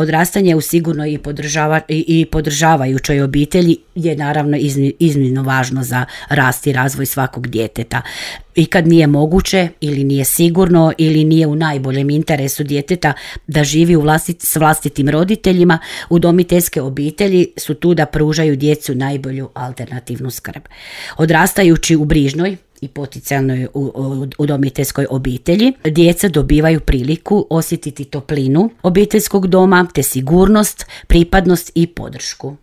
Odrastanje u sigurnoj i podržavajućoj obitelji je naravno iznimno važno za rast i razvoj svakog djeteta. I kad nije moguće ili nije sigurno ili nije u najboljem interesu djeteta da živi s vlastitim roditeljima, udomiteljske obitelji su tu da pružaju djecu najbolju alternativnu skrb. Odrastajući u brižnoj i potencijalnoj udomiteljskoj obitelji, djeca dobivaju priliku osjetiti toplinu obiteljskog doma te sigurnost, pripadnost i podršku.